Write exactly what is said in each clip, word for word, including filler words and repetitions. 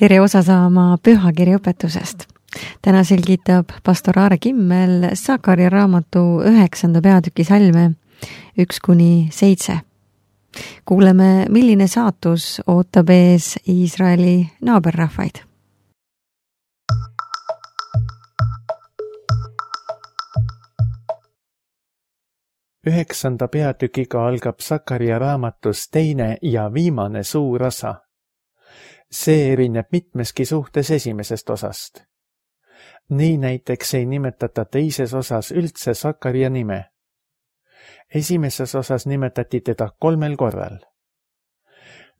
tere osa saama pühakirja õpetusest. Täna selgitab pastor Aare Kimmel Sakaria raamatu üheksanda peatüki salme üks kuni seitse. Kuuleme, milline saatus ootab ees Iisraeli naaberrahvaid. Üheksanda peatükiga algab Sakaria raamatus teine ja viimane suur osa. See erineb mitmeski suhtes esimesest osast. Nii näiteks ei nimetata teises osas üldse Sakaria nime. Esimeses osas nimetati teda kolmel korral.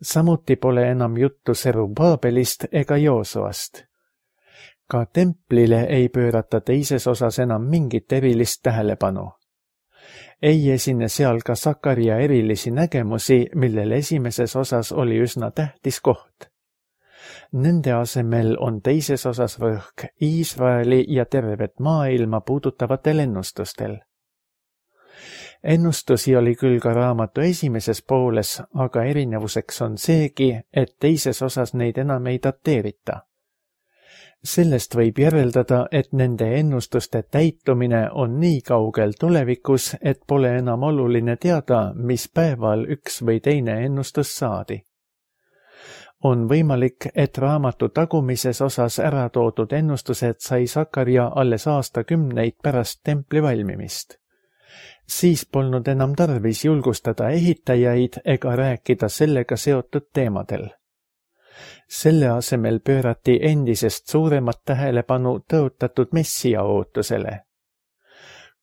Samuti pole enam juttu Serubaabelist ega Joosuast. Ka templile ei pöörata teises osas enam mingit erilist tähelepanu. Ei esine seal ka Sakaria erilisi nägemusi, millel esimeses osas oli üsna tähtis koht. Nende asemel on teises osas rõhk Iisraeli ja tervet maailma puudutavatel ennustustel. Ennustusi oli küll ka raamatu esimeses pooles, aga erinevuseks on seegi, et teises osas neid enam ei dateerita. Sellest võib järeldada, et nende ennustuste täitumine on nii kaugel tulevikus, et pole enam oluline teada, mis päeval üks või teine ennustus saadi. On võimalik, et raamatu tagumises osas ära toodud ennustused sai Sakaria alles aastakümneid pärast templi valmimist. Siis polnud enam tarvis julgustada ehitajaid ega rääkida sellega seotud teemadel. Selle asemel pöörati endisest suuremat tähelepanu tõotatud messia ootusele.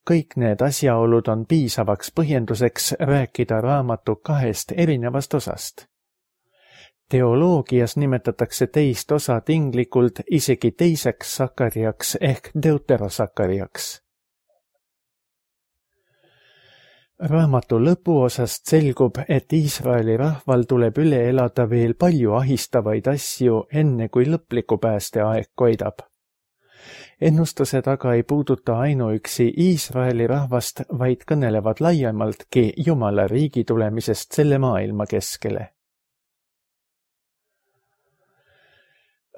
Kõik need asjaolud on piisavaks põhjenduseks rääkida raamatu kahest erinevast osast. Teoloogias nimetatakse teist osa tinglikult isegi teiseks Sakariaks ehk deuterosakariaks. Raamatu lõpuosast selgub, et Iisraeli rahval tuleb üle elada veel palju ahistavaid asju, enne kui lõpliku päästeaeg koidab. Ennustused aga ei puuduta ainuüksi Iisraeli rahvast, vaid kõnelevad laiemaltki Jumala riigi tulemisest selle maailma keskele.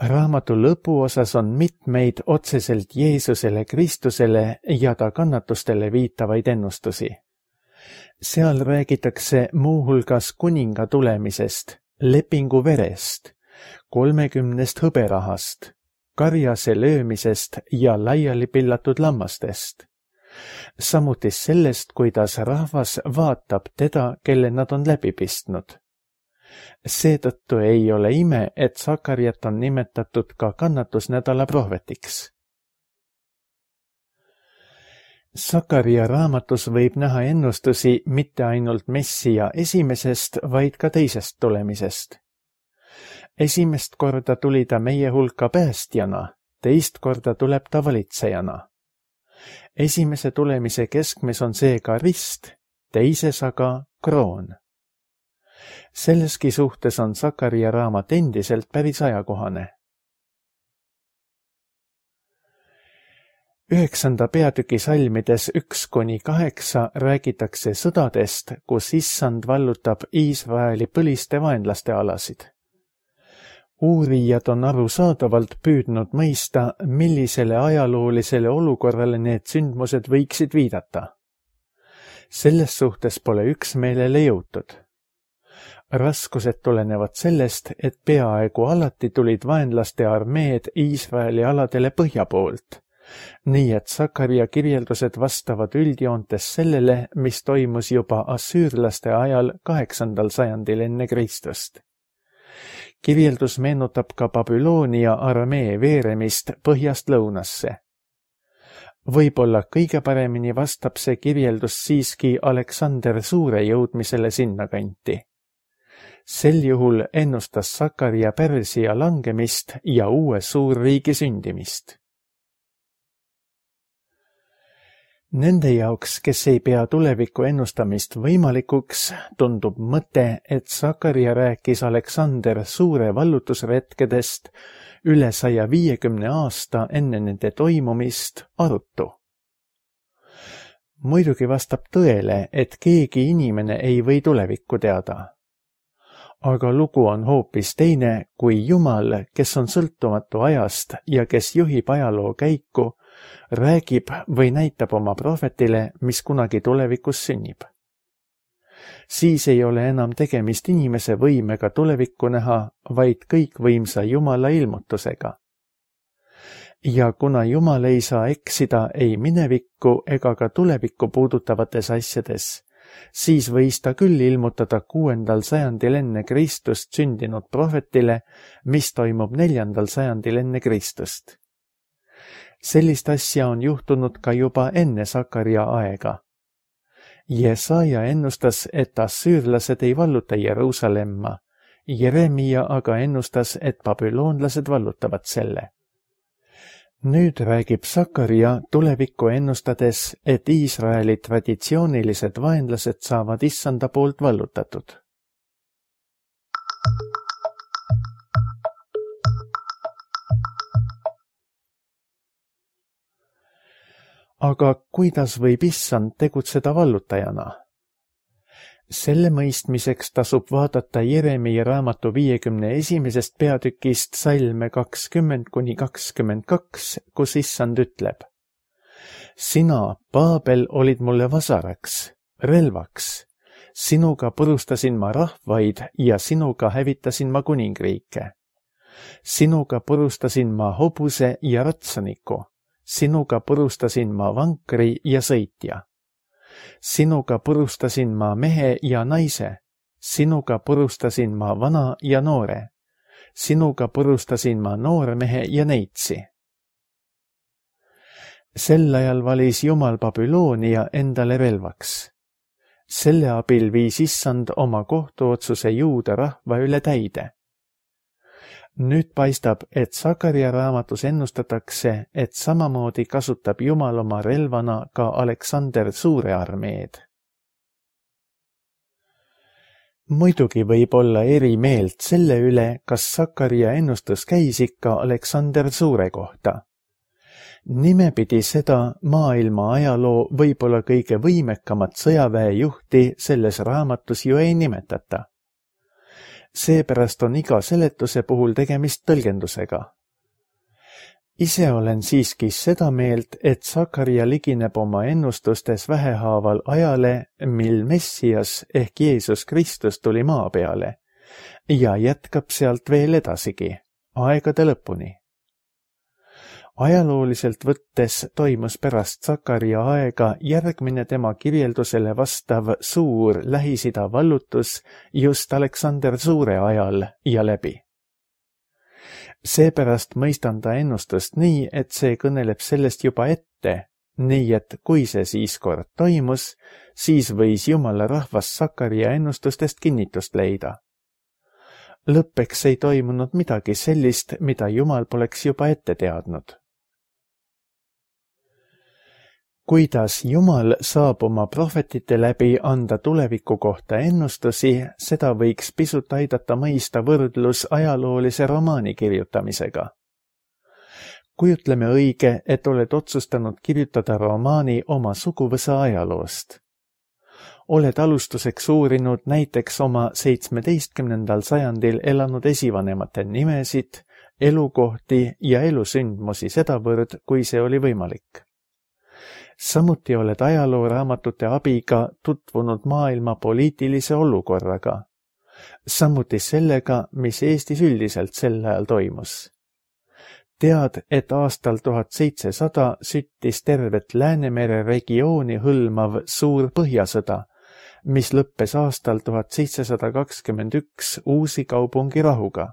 Raamatu lõpuosas on mitmeid otseselt Jeesusele Kristusele ja ta kannatustele viitavaid ennustusi. Seal räägitakse muuhulgas kuninga tulemisest, lepingu verest, kolmekümnest hõberahast, karjase löömisest ja laiali pillatud lammastest. Samuti sellest, kuidas rahvas vaatab teda, kelle nad on läbi pistnud. Seetõttu ei ole ime, et Sakariat on nimetatud ka kannatusnädala prohvetiks. Sakaria raamatus võib näha ennustusi mitte ainult messia esimesest, vaid ka teisest tulemisest. Esimest korda tuli ta meie hulka päästjana, teist korda tuleb ta valitsejana. Esimese tulemise keskmes on seega rist, teises aga kroon. Selleski suhtes on Sakaria raamat endiselt päris ajakohane. Üheksanda peatüki salmides üks kuni kaheksa räägitakse sõdadest, kus issand vallutab Iisraeli põliste vaenlaste alasid. Uurijad on arusaadavalt püüdnud mõista, millisele ajaloolisele olukorrale need sündmused võiksid viidata. Selles suhtes pole üksmeelele jõutud. Raskused tulenevad sellest, et peaaegu alati tulid vaenlaste armeed Iisraeli aladele põhja poolt. Nii et Sakaria kirjeldused vastavad üldjoontes sellele, mis toimus juba assüürlaste ajal kaheksandal sajandil enne Kristust. Kirjeldus meenutab ka Babyloonia armee veeremist põhjast lõunasse. Võib-olla kõige paremini vastab see kirjeldus siiski Aleksander Suure jõudmisele sinnakanti. Sel juhul ennustas Sakaria Pärsia langemist ja uue suurriigi sündimist. Nende jaoks, kes ei pea tuleviku ennustamist võimalikuks, tundub mõte, et Sakaria rääkis Aleksander Suure vallutusretkedest üle saja viiekümne aasta enne nende toimumist arutu. Muidugi vastab tõele, et keegi inimene ei või tulevikku teada. aga lugu on hoopis teine, kui Jumal, kes on sõltumatu ajast ja kes juhib ajaloo käiku, räägib või näitab oma prohvetile, mis kunagi tulevikus sünnib. Siis ei ole enam tegemist inimese võimega tulevikku näha, vaid kõikvõimsa Jumala ilmutusega. Ja kuna Jumal ei saa eksida ei minevikku ega ka tulevikku puudutavates asjades, siis võis ta küll ilmutada kuuendal sajandil enne Kristust sündinud prohvetile, mis toimub neljandal sajandil enne Kristust. Sellist asja on juhtunud ka juba enne Sakaria aega. Jesaja ennustas, et assüürlased ei valluta Jeruusalemma, Jeremia aga ennustas, et babüloonlased vallutavad selle. Nüüd räägib Sakaria tulevikku ennustades, et Iisraeli traditsioonilised vaenlased saavad issanda poolt vallutatud. Aga kuidas võib issand tegutseda vallutajana? Selle mõistmiseks tasub vaadata Jeremia raamatu viiekümne esimesest peatükist salme kakskümmend kuni kakskümmend kaks, kus issand ütleb: Sina, Paabel, olid mulle vasaraks, relvaks. Sinuga purustasin ma rahvaid ja sinuga hävitasin ma kuningriike. Sinuga purustasin ma hobuse ja ratsaniku. Sinuga purustasin ma vankri ja sõitja. Sinuga purustasin ma mehe ja naise. Sinuga purustasin ma vana ja noore. Sinuga purustasin ma noormehe ja neitsi. Sel ajal valis Jumal Babyloonia endale relvaks. Selle abil viis issand oma kohtuotsuse juuda rahva üle täide. Nüüd paistab, et Sakaria raamatus ennustatakse, et samamoodi kasutab Jumal oma relvana ka Aleksander Suure armeed. Muidugi võib olla eri meelt selle üle, kas Sakaria ennustus käis ikka Aleksander Suure kohta. Nimepidi seda maailma ajaloo võib-olla kõige võimekamat sõjaväejuhti selles raamatus ju ei nimetata. Seepärast on iga seletuse puhul tegemist tõlgendusega. Ise olen siiski seda meelt, et Sakaria ligineb oma ennustustes vähehaaval ajale, mil Messias ehk Jeesus Kristus tuli maa peale ja jätkab sealt veel edasigi, aegade lõpuni. Ajalooliselt võttes toimus pärast Sakaria aega järgmine tema kirjeldusele vastav suur Lähis-Ida vallutus just Aleksander Suure ajal ja läbi. Seepärast mõistan ta ennustust nii, et see kõneleb sellest juba ette, nii et kui see siis kord toimus, siis võis Jumala rahvas Sakaria ennustustest kinnitust leida. Lõppeks ei toimunud midagi sellist, mida Jumal poleks juba ette teadnud. Kuidas Jumal saab oma prohvetite läbi anda tuleviku kohta ennustusi, seda võiks pisut aidata mõista võrdlus ajaloolise romaani kirjutamisega. Kujutleme õige, et oled otsustanud kirjutada romaani oma suguvõsa ajaloost. Oled alustuseks uurinud näiteks oma seitsmeteistkümnendal sajandil elanud esivanemate nimesid, elukohti ja elusündmusi sedavõrd, kui see oli võimalik. Samuti oled ajalooraamatute abiga tutvunud maailma poliitilise olukorraga, samuti sellega, mis Eestis üldiselt sel ajal toimus. Tead, et aastal tuhat seitsesada süttis tervet Läänemere regiooni hõlmav suur põhjasõda, mis lõppes aastal tuhat seitsesada kakskümmend üks Uusi Kaupungi rahuga.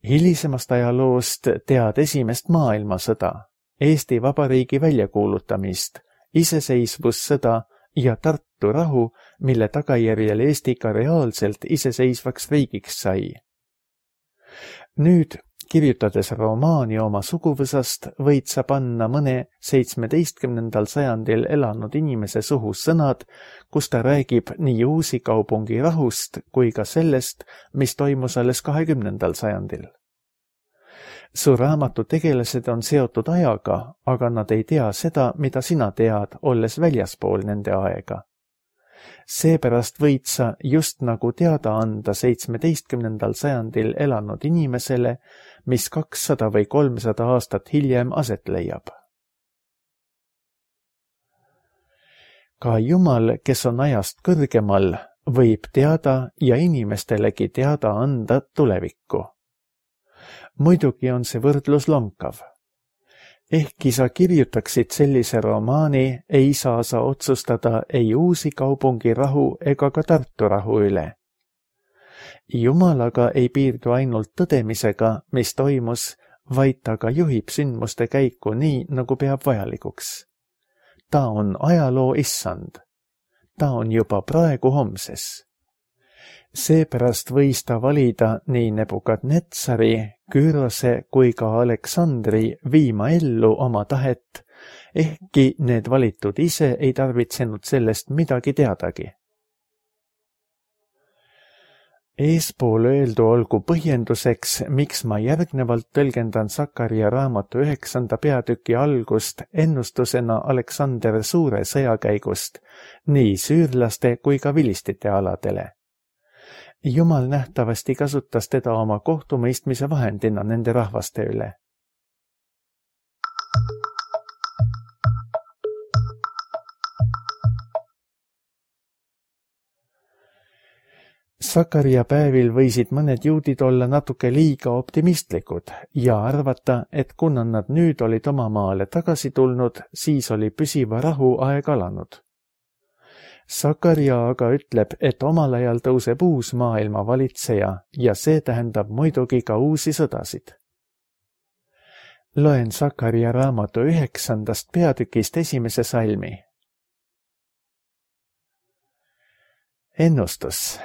Hilisemast ajaloost tead esimest maailmasõda, Eesti Vabariigi väljakuulutamist, iseseisvussõda ja Tartu rahu, mille tagajärjel Eesti ka reaalselt iseseisvaks riigiks sai. Nüüd, kirjutades romaani oma suguvõsast, võid sa panna mõne seitsmeteistkümnendal sajandil elanud inimese suhu sõnad, kus ta räägib nii Uusi Kaupungi rahust kui ka sellest, mis toimus alles kahekümnendal sajandil. Su raamatu tegelased on seotud ajaga, aga nad ei tea seda, mida sina tead, olles väljaspool nende aega. Seepärast võid sa just nagu teada anda seitsmeteistkümnendal sajandil elanud inimesele, mis kakssada või kolmsada aastat hiljem aset leiab. Ka Jumal, kes on ajast kõrgemal, võib teada ja inimestelegi teada anda tulevikku. Muidugi on see võrdlus lonkav. Ehkki sa kirjutaksid sellise romaani, ei saa sa otsustada ei Uusi Kaupungi rahu ega ka Tartu rahu üle. Jumal aga ei piirdu ainult tõdemisega, mis toimus, vaid ta ka juhib sündmuste käiku nii, nagu peab vajalikuks. Ta on ajaloo issand. Ta on juba praegu homses. Seepärast võis ta valida nii Nebukadnetsari, Kürose kui ka Aleksandri viima ellu oma tahet, ehkki need valitud ise ei tarvitsenud sellest midagi teadagi. Eespool öeldu olgu põhjenduseks, miks ma järgnevalt tõlgendan Sakaria raamatu üheksanda peatüki algust ennustusena Aleksander Suure sõjakäigust nii süürlaste kui ka vilistite aladele. Jumal nähtavasti kasutas teda oma kohtumõistmise vahendina nende rahvaste üle. Sakaria päevil võisid mõned juudid olla natuke liiga optimistlikud ja arvata, et kuna nad nüüd olid oma maale tagasi tulnud, siis oli püsiva rahu aeg alanud. Sakaria aga ütleb, et omal ajal tõuseb uus maailma valitseja ja see tähendab muidugi ka uusi sõdasid. Loen Sakaria raamatu üheksandast peatükist esimese salmi. Ennustus.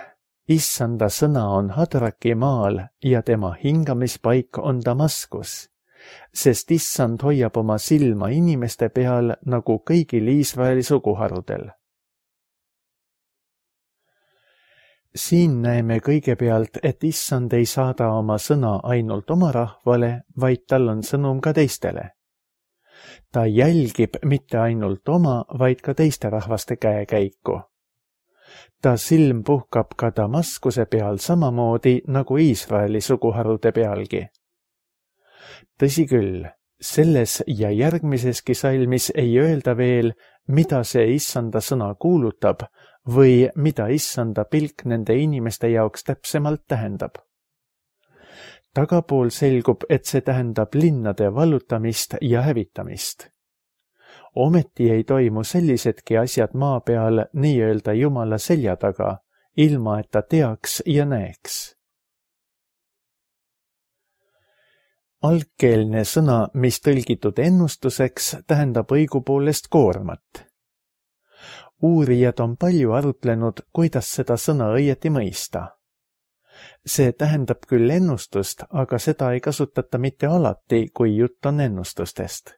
Issanda sõna on Hadraki maal ja tema hingamispaik on Damaskus, sest issand hoiab oma silma inimeste peal nagu kõigil Iisraeli suguharudel. Siin näeme kõigepealt, et issand ei saada oma sõna ainult oma rahvale, vaid tal on sõnum ka teistele. Ta jälgib mitte ainult oma, vaid ka teiste rahvaste käekäiku. Ta silm puhkab ka Damaskuse peal samamoodi nagu Iisraeli suguharude pealgi. Tõsi küll, selles ja järgmiseski salmis ei öelda veel, mida see issanda sõna kuulutab või mida issanda pilk nende inimeste jaoks täpsemalt tähendab. Tagapool selgub, et see tähendab linnade vallutamist ja hävitamist. Ometi ei toimu sellisedki asjad maa peal nii-öelda Jumala selja taga, ilma et ta teaks ja näeks. Algkeelne sõna, mis tõlgitud ennustuseks, tähendab õigupoolest koormat. Uurijad on palju arutlenud, kuidas seda sõna õieti mõista. See tähendab küll ennustust, aga seda ei kasutata mitte alati, kui jutt on ennustustest.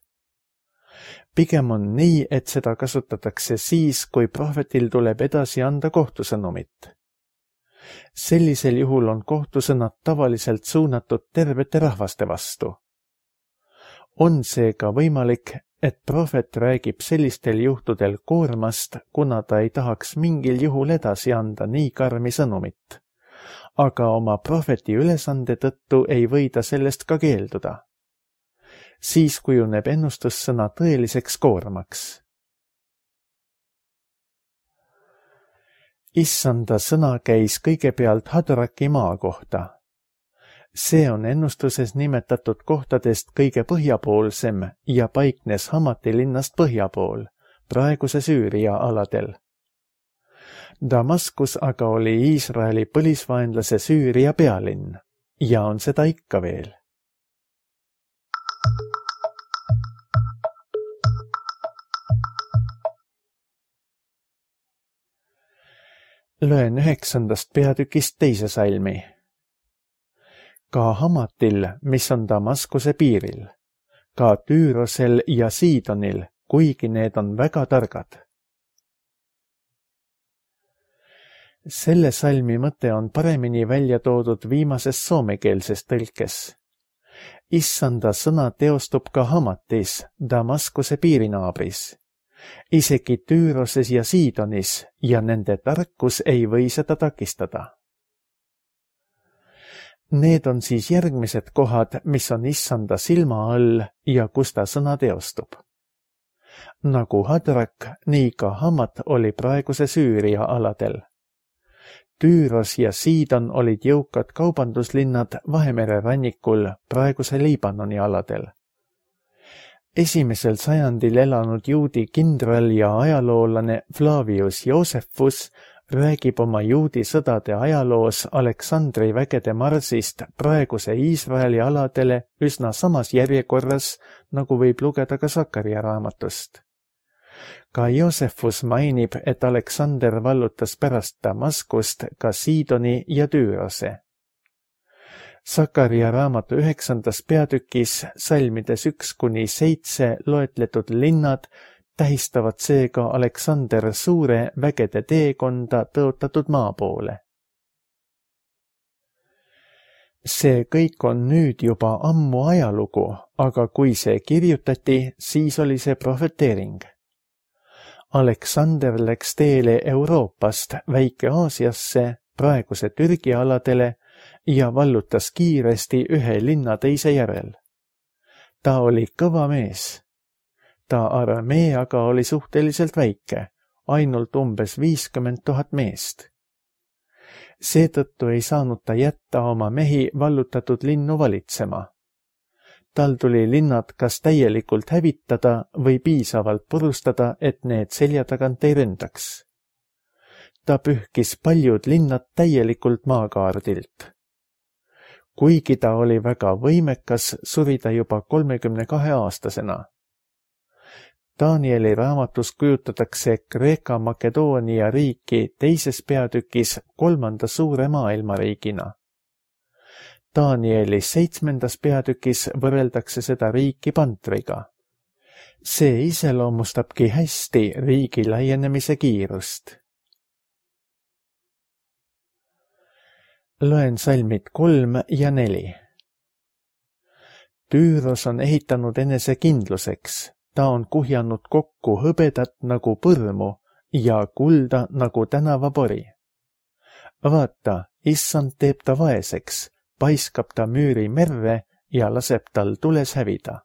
Pigem on nii, et seda kasutatakse siis, kui prohvetil tuleb edasi anda kohtusõnumit. Sellisel juhul on kohtusõnad tavaliselt suunatud tervete rahvaste vastu. On seega võimalik, et prohvet räägib sellistel juhtudel koormast, kuna ta ei tahaks mingil juhul edasi anda nii karmi sõnumit. Aga oma prohveti ülesande tõttu ei või ta sellest ka keelduda. Siis kujuneb ennustussõna tõeliseks koormaks. Issanda sõna käis kõigepealt Hadraki maa kohta. See on ennustuses nimetatud kohtadest kõige põhjapoolsem ja paiknes Hamati linnast põhjapool, praeguse Süüria aladel. Damaskus aga oli Iisraeli põlisvaenlase Süüria pealinn ja on seda ikka veel. Loen üheksandast peatükist teise salmi. Ka Hamatil, mis on Damaskuse piiril, ka Tüürosel ja Siidonil, kuigi need on väga targad. Selle salmi mõte on paremini välja toodud viimases soomekeelses tõlkes. Issanda sõna teostub ka Hamatis, Damaskuse piirinaabris. isegi Tüüroses ja Siidonis, ja nende tarkus ei või seda takistada. Need on siis järgmised kohad, mis on issanda silma all ja kus ta sõna teostub. Nagu Hadrak, nii ka Hamat oli praeguse Süüria aladel. Tüüros ja Siidon olid jõukad kaubanduslinnad Vahemere rannikul praeguse Liibanoni aladel. Esimesel sajandil elanud juudi kindral ja ajaloolane Flavius Josephus räägib oma juudi sõdade ajaloos Aleksandri vägede marsist praeguse Iisraeli aladele üsna samas järjekorras, nagu võib lugeda ka Sakaria raamatust. Ka Josephus mainib, et Aleksander vallutas pärast Damaskust ka Siidoni ja Tüürose. Sakaria raamatu üheksandas peatükis salmides üks kuni seitse loetletud linnad tähistavad seega Aleksander suure vägede teekonda tõotatud maa poole. See kõik on nüüd juba ammu ajalugu, aga kui see kirjutati, siis oli see prohveteering. Aleksander läks teele Euroopast Väike-Aasiasse, praeguse Türgi aladele ja vallutas kiiresti ühe linna teise järel. Ta oli kõva mees. Ta armee aga oli suhteliselt väike, ainult umbes viiskümmend tuhat meest. Seetõttu ei saanud ta jätta oma mehi vallutatud linnu valitsema. Tal tuli linnad kas täielikult hävitada või piisavalt purustada, et need selja tagant ei ründaks. Ta pühkis paljud linnad täielikult maakaardilt. Kuigi ta oli väga võimekas, suri ta juba kolmekümne kahe aastasena. Danieli raamatus kujutatakse Kreeka-Makedoonia riiki teises peatükis kolmanda suure maailmariigina. Danieli seitsmendas peatükis võrreldakse seda riiki pantriga. See iseloomustabki hästi riigi laienemise kiirust. Loen salmid kolm ja neli. Tüüros on ehitanud enese kindluseks. Ta on kuhjanud kokku hõbedat nagu põrmu ja kulda nagu tänavapori. Vaata, issand teeb ta vaeseks, paiskab ta müüri merre ja laseb tal tules hävida.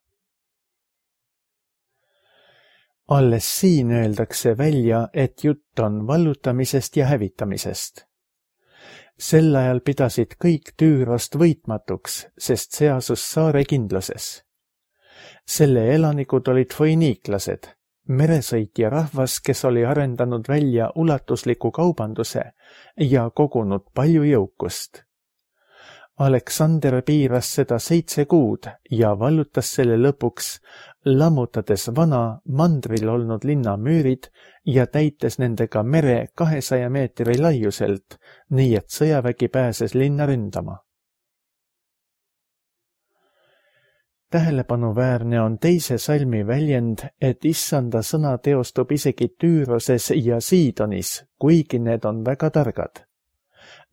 Alles siin öeldakse välja, et jutt on vallutamisest ja hävitamisest. Sel ajal pidasid kõik Tüürost võitmatuks, sest see asus saare kindluses. Selle elanikud olid foiniiklased, meresõitja rahvas, kes oli arendanud välja ulatusliku kaubanduse ja kogunud palju jõukust. Aleksander piiras seda seitse kuud ja vallutas selle lõpuks, lammutades vana mandril olnud linna müürid ja täites nendega mere kahesaja meetri laiuselt, nii et sõjavägi pääses linna ründama. Tähelepanuväärne on teise salmi väljend, et issanda sõna teostub isegi Tüüroses ja Siidonis, kuigi need on väga targad.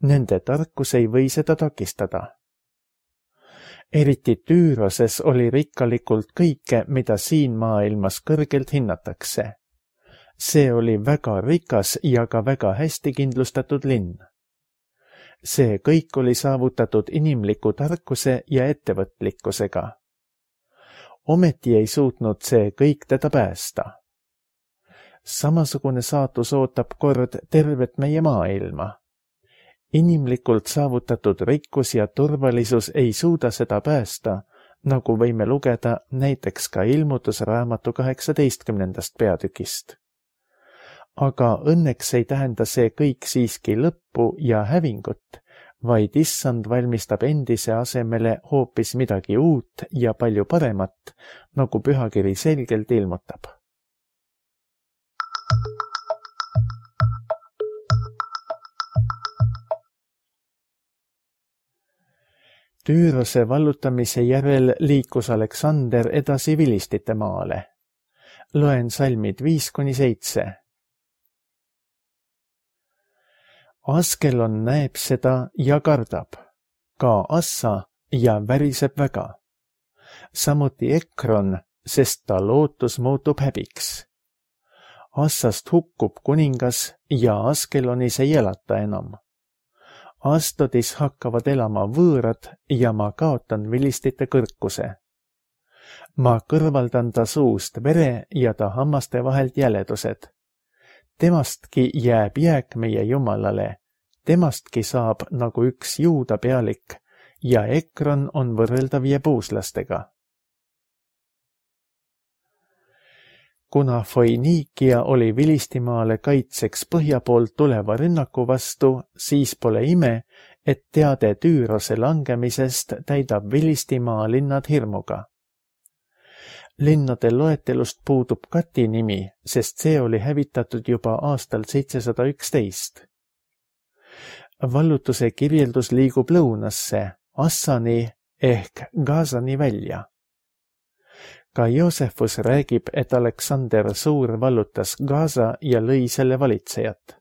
Nende tarkus ei või seda takistada. Eriti Tüüroses oli rikkalikult kõike, mida siin maailmas kõrgelt hinnatakse. See oli väga rikas ja ka väga hästi kindlustatud linn. See kõik oli saavutatud inimliku tarkuse ja ettevõtlikkusega. Ometi ei suutnud see kõik teda päästa. Samasugune saatus ootab kord tervet meie maailma. Inimlikult saavutatud rikkus ja turvalisus ei suuda seda päästa, nagu võime lugeda näiteks ka ilmutusraamatu kaheksateistkümnendast peatükist. Aga õnneks ei tähenda see kõik siiski lõppu ja hävingut, vaid issand valmistab endise asemele hoopis midagi uut ja palju paremat, nagu pühakiri selgelt ilmutab. Tüürose vallutamise järel liikus Aleksander edasi Vilistite maale. Loen salmid viis kuni seitse. Askelon näeb seda ja kardab, ka Assa ja väriseb väga. Samuti Ekron, sest ta lootus muutub häbiks. Assast hukkub kuningas ja Askelonis ei elata enam. Astodis hakkavad elama võõrad ja ma kaotan vilistite kõrkuse. Ma kõrvaldan ta suust vere ja ta hammaste vahelt jäledused. Temastki jääb jääk meie Jumalale, temastki saab nagu üks Juuda pealik ja Ekron on võrreldav jebuuslastega. Kuna Foiniikia oli Vilistimaale kaitseks põhja poolt tuleva rünnaku vastu, siis pole ime, et teade Tüürose langemisest täidab Vilistimaa linnad hirmuga. Linnade loetelust puudub Kati nimi, sest see oli hävitatud juba aastal seitsesada üksteist. Vallutuse kirjeldus liigub lõunasse, Assani ehk Gazani välja. Ka Joosefus räägib, et Aleksander Suur vallutas Gaza ja lõi selle valitsejat.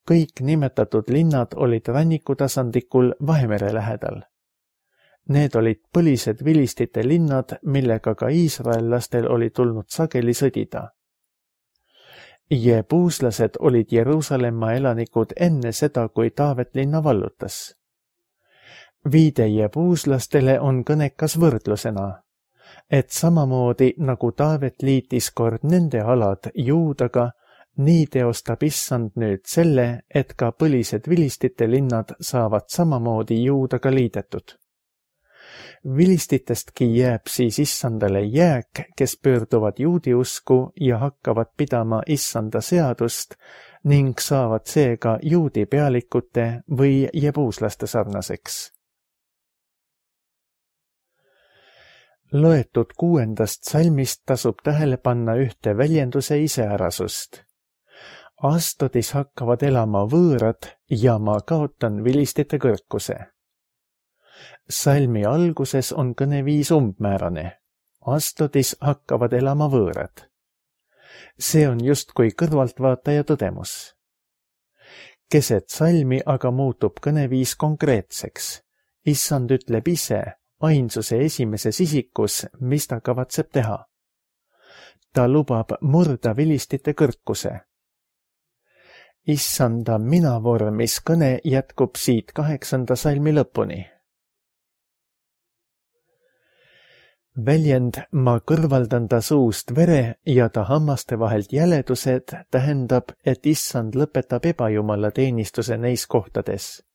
Kõik nimetatud linnad olid rannikutasandikul Vahemere lähedal. Need olid põlised vilistite linnad, millega ka iisraellastel oli tulnud sageli sõdida. Jebuuslased olid Jeruusalemma elanikud enne seda, kui Taavet linna vallutas. Viide jebuuslastele on kõnekas võrdlusena, et samamoodi nagu Taavet liitis kord nende alad Juudaga, nii teostab Issand nüüd selle, et ka põlised vilistite linnad saavad samamoodi Juudaga liidetud. Vilistitestki jääb siis Issandale jääk, kes pöörduvad juudi usku ja hakkavad pidama Issanda seadust ning saavad seega juudi pealikute või jebuuslaste sarnaseks. Loetud kuuendast salmist tasub tähele panna ühte väljenduse iseärasust. Astodis hakkavad elama võõrad ja ma kaotan vilistite kõrkuse. Salmi alguses on kõneviis umbmäärane. Astodis hakkavad elama võõrad. See on justkui kõrvaltvaataja tõdemus. Keset salmi aga muutub kõneviis konkreetseks. Issand ütleb ise, ainsuse esimeses isikus, mis ta kavatseb teha. Ta lubab murda vilistite kõrkuse. Issanda mina vormis kõne jätkub siit kaheksanda salmi lõpuni. Väljend ma kõrvaldan ta suust vere ja ta hammaste vahelt jäledused tähendab, et Issand lõpetab ebajumala teenistuse neis kohtades.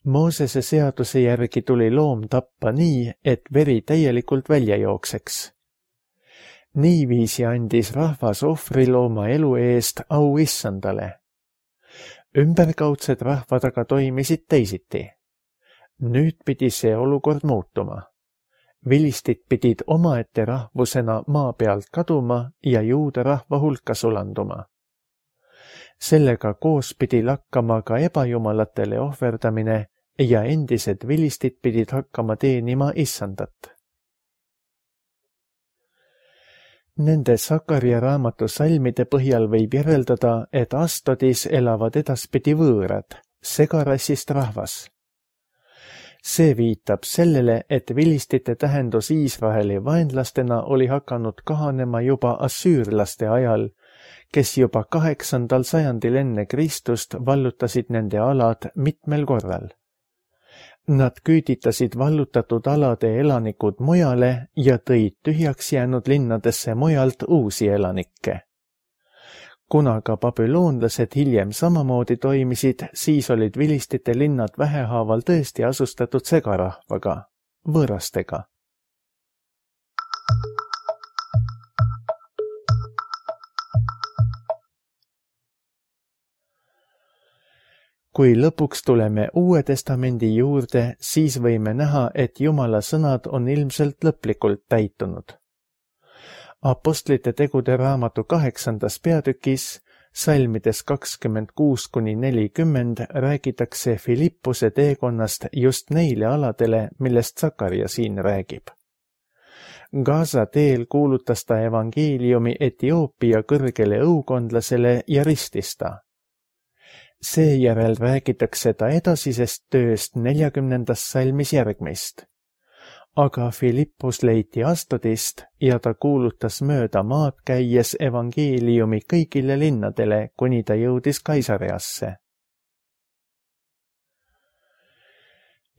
Moosese seaduse järgi tuli loom tappa nii, et veri täielikult välja jookseks. Niiviisi andis rahvas ohvrilooma elu eest au Issandale. Ümberkaudsed rahvad aga toimisid teisiti. Nüüd pidi see olukord muutuma. Vilistid pidid omaette rahvusena maa pealt kaduma ja juuda rahva hulka sulanduma. Sellega koos pidi lakkama ka ebajumalatele ohverdamine ja endised vilistid pidid hakkama teenima Issandat. Nende Sakarja raamatu salmide põhjal võib järeldada, et Astodis elavad edaspidi võõrad, segarassist rahvas. See viitab sellele, et vilistite tähendus Iisraeli vaenlastena oli hakanud kahanema juba assüürlaste ajal, kes juba kaheksandal sajandil enne Kristust vallutasid nende alad mitmel korral. Nad küüditasid vallutatud alade elanikud mujale ja tõid tühjaks jäänud linnadesse mujalt uusi elanikke. Kuna ka babüloonlased hiljem samamoodi toimisid, siis olid vilistite linnad vähehaaval tõesti asustatud segarahvaga, võõrastega. Kui lõpuks tuleme Uue Testamendi juurde, siis võime näha, et Jumala sõnad on ilmselt lõplikult täitunud. Apostlite tegude raamatu kaheksandas peatükis, salmides kakskümmend kuus kuni nelikümmend, räägitakse Filippuse teekonnast just neile aladele, millest Sakarja siin räägib. Gaza teel kuulutas ta evangeeliumi Etioopia kõrgele õukondlasele ja ristis ta. Seejärel räägitakse ta edasisest tööst neljakümnendas salmis järgmist. aga Philippus leiti Astodist ja ta kuulutas mööda maad käies evangeeliumi kõigile linnadele, kuni ta jõudis Kaisareasse.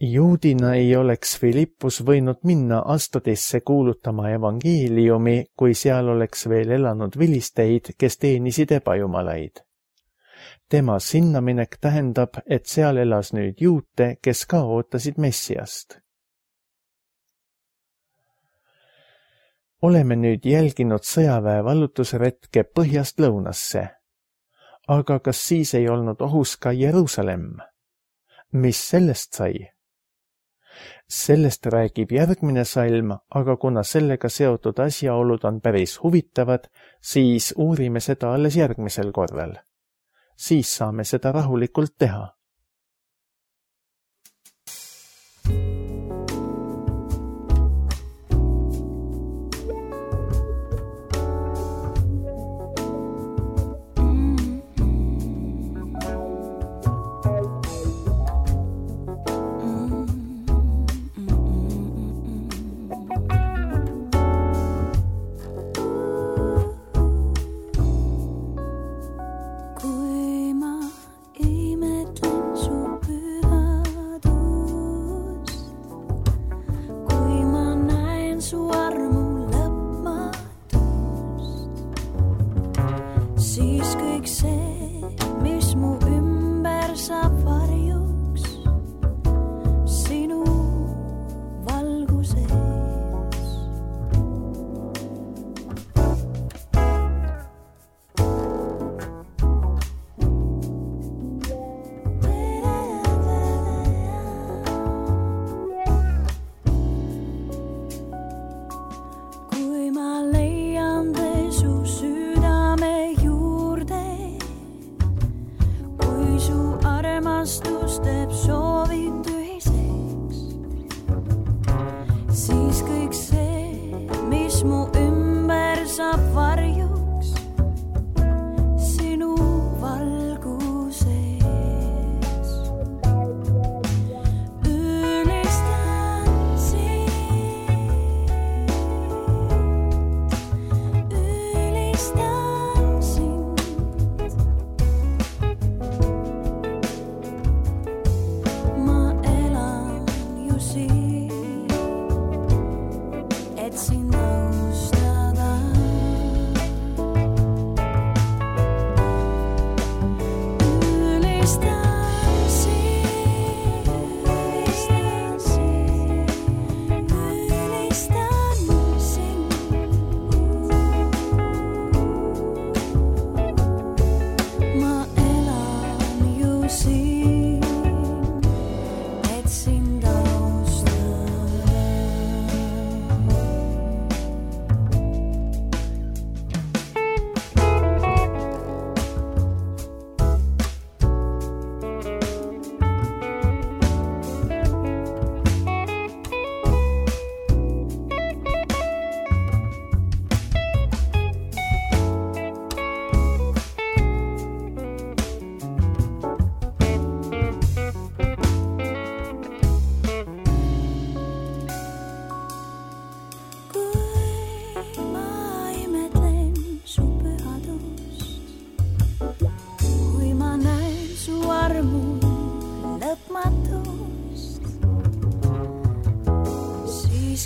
Juudina ei oleks Philippus võinud minna Astodisse kuulutama evangeeliumi, kui seal oleks veel elanud vilisteid, kes teenisid ebajumalaid. Tema sinnaminek tähendab, et seal elas nüüd juute, kes ka ootasid Messiast. Oleme nüüd jälginud sõjaväe vallutusretke põhjast lõunasse. Aga kas siis ei olnud ohus ka Jeruusalemm? Mis sellest sai? Sellest räägib järgmine salm, aga kuna sellega seotud asjaolud on päris huvitavad, siis uurime seda alles järgmisel korral. Siis saame seda rahulikult teha.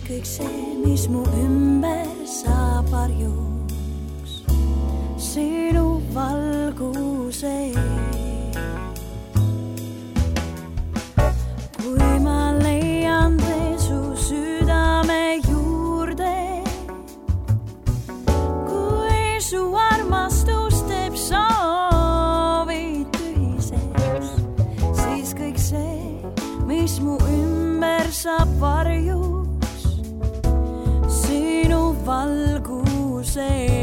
kõik see, mis mu ümber saab varjuks, sinu valguse ees. Kui ma leian tee su südame juurde, kui su armastus teeb soovid tühiseks, siis kõik see, mis mu ümber saab varjuks, sinu valguse